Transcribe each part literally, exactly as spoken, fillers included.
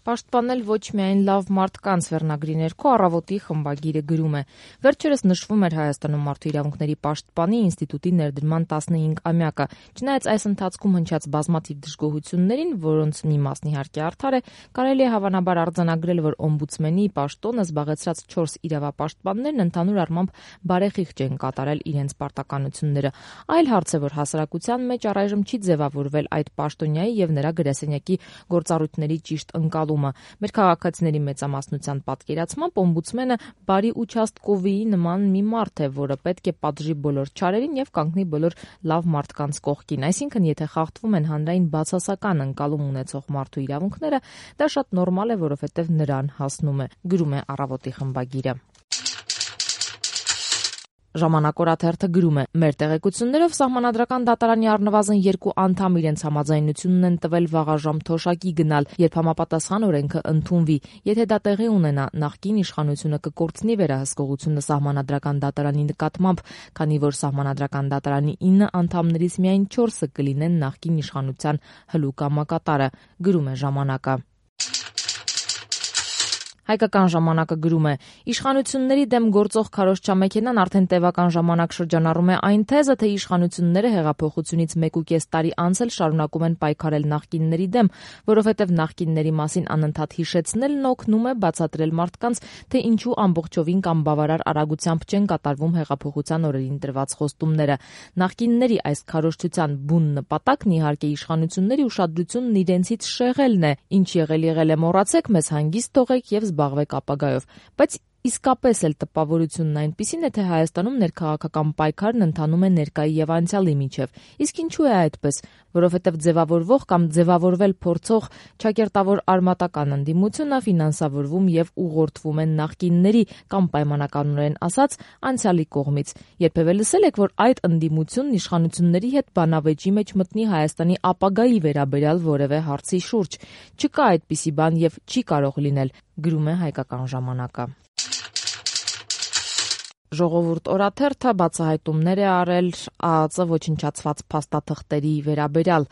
Պաշտպանել ոչ միայն լավ մարդկանց վերնագրի ներքո Առավոտի խմբագիրը գրում է. Վերջերս նշվում էր Հայաստանում մարդու իրավունքների պաշտպանի ինստիտուտի ներդրման տասնհինգամյակը։ Չնայած այս ընթացքում հնչած բազմաթիվ դժգոհություններին, որոնց մի մասն իհարկե արդար է, կարելի է հավանաբար արձանագրել, որ օմբուդսմենի պաշտոնը զբաղեցրած չորս իրավապաշտպաններն ընդհանուր առմամբ բարեխիղճ են կատարել իրենց պարտականությունները։ Այլ հարց է, որ հասարակության մեջ առայժմ չի ձևավորվել այդ պաշտոնյայի եւ նրա գրասենյակի գործառույթների ճիշտ ընկալումը։ Մեր քաղաքացիների մեծամասնության պատկերացմամբ օմբուդսմենը բարի участковի նման մի մարդ է, որը պետք է պատժի բոլոր չարերին եւ կանգնի բոլոր լավ մարդկանց կողքին։ Այսինքն, եթե խախտվում են հանրային բացասական ընկալում ունեցող մարդու իրավունքները, դա շատ նորմալ է, որովհետեւ նրան հասնում է, գրում է Առավոտի խմբագիրը։ Ժամանակ օրաթերթը գրում է. Մեր տեղեկություններով Սահմանադրական դատարանի առնվազն երկու անդամ իրենց համաձայնությունն են տվել վաղաժամ թոշակի գնալ, երբ համապատասխան օրենքը ընդունվի։ Եթե դա տեղի ունենա, նախկին իշխանությունը կկորցնի վերահսկողությունը Սահմանադրական դատարանի նկատմամբ, քանի որ Սահմանադրական դատարանի ինը անդամներից միայն չորսը կլինեն նախկին իշխանության հլու կամակատարը, գրում է Ժամանակը։ Հայկական ժամանակը գրում է. Իշխանությունների դեմ գործող քարոզչամեքենան արդեն տևական ժամանակ շրջանառում է այն թեզը, թե իշխանությունները հեղափոխությունից մեկուկես տարի անց էլ շարունակում են պայքարել նախկինների դեմ, որովհետև նախկինների մասին անընդհատ հիշեցնելն օգնում է բացատրել մարդկանց, թե ինչու ամբողջովին կամ բավարար արագությամբ չեն կատարվում հեղափոխության օրերին տրված խոստումները։ Նախկինների այս քարոզչության բուն նպատակն իհարկե իշխանությունների ուշադրությունն իրենցից շեղելն է, ինչ եղել եղել է մոռացեք, մեզ հանգիստ թողեք եւ զբաղվեք ապագայով, բայց իսկապես էլ տպավորությունն այնպիսին է, թե Հայաստանում ներքաղաքական պայքարն ընթանում է ներկայի եւ անցյալի միջև։ Իսկ ինչու է այդպես, որովհետեւ ձևավորվող կամ ձևավորվել փորձող ճակերտավոր արմատական ընդդիմությունը ֆինանսավորվում եւ ուղղորդվում են նախկինների կամ պայմանականորեն ասած անցյալի կողմից։ Երբևէ լսել եք, որ այդ ընդդիմությունն իշխանությունների հետ բանավեճի մեջ մտնի Հայաստանի ապագայի վերաբերյալ որևէ հարցի շուրջ։ Չկա այդպիսի բան եւ չի կարող լինել, գրում է Հայկական ժամանակը։ Ժողովուրդ օրաթերթը բացահայտումներ է արել ԱԱԾ ոչնչացված փաստաթղթերի վերաբերյալ։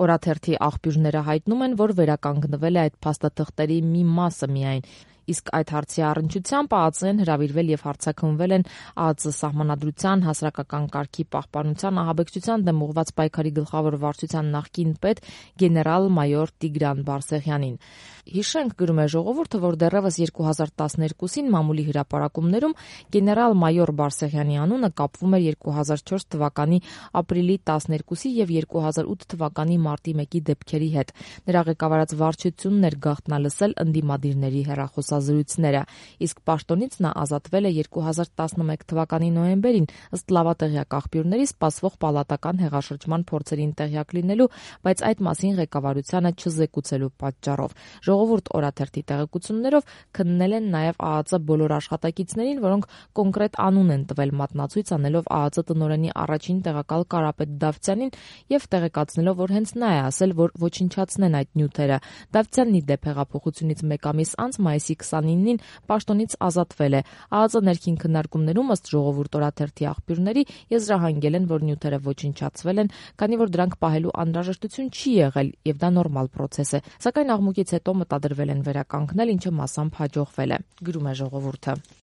Օրաթերթի աղբյուրները հայտնում են, որ վերականգնվել է այդ փաստաթղթերի մի մասը միայն։ Իսկ այդ հարցի առնչությամբ ԱԱԾ-ն հրավիրվել եւ հարձակվվել են ԱԱԾ սահմանադրության, հասարակական կարգի պահպանության, ահաբեկչության դեմ ուղղված պայքարի գլխավոր վարչության նախկին պետ գեներալ-մայոր Տիգրան Բարսեղյանին։ Հիշենք, գրում է Ժողովուրդը, որ դեռևս երկու հազար տասներկուսին մամուլի հրապարակումներում գեներալ-մայոր Բարսեղյանի անունը կապվում էր երկու հազար չորս թվականի ապրիլի տասներկուսի եւ երկու հազար ութ թվականի մարտի մեկի դեպքերի հետ։ Նրա ղեկավարած վարչությունն էր գաղտնալսել ընդդիմադիրների հեռախոսազրույցները, իսկ պաշտոնից նա ազատվել է երկու հազար տասնմեկ թվականի նոյեմբերին, ըստ լավատեղյակ աղբյուրների սպասվող պալատական հեղաշրջման փորձերին տեղյակ լինելու, բայց այդ մասին ղեկավարությանը չզեկուցելու պատճառով։ Ժողովուրդ օրաթերթի տեղեկություններով քննել են նաև ԱԱԾ բոլոր աշխատակիցներին, որոնք կոնկրետ անուն են տվել, մատնացույց անելով ԱԱԾ տնօրենի առաջին տեղակալ Կարապետ Դավթյանին եւ տեղեկացնելով, որ հենց նա է ասել, որ ոչնչացնեն այդ նյութերը։ Դավթյանն ի դեպ հեղափոխությունից մեկ ամիս անց մայիսի քսանինին պաշտոնից ազատվել է։ ԱԱԾ ներքին քննարկումներում ըստ Ժողովուրդ օրաթերթի աղբյուրների եզրահանգել են, որ նյութերը ոչնչացվել են, քանի որ դրանք պահելու անհրաժեշտություն չի եղել եւ դա նորմալ պրոցես է։ Սակայն աղմուկից հետո մտադրվել են վերականգնել, ինչը մասամբ հաջողվել է, գրում է Ժողովուրդը։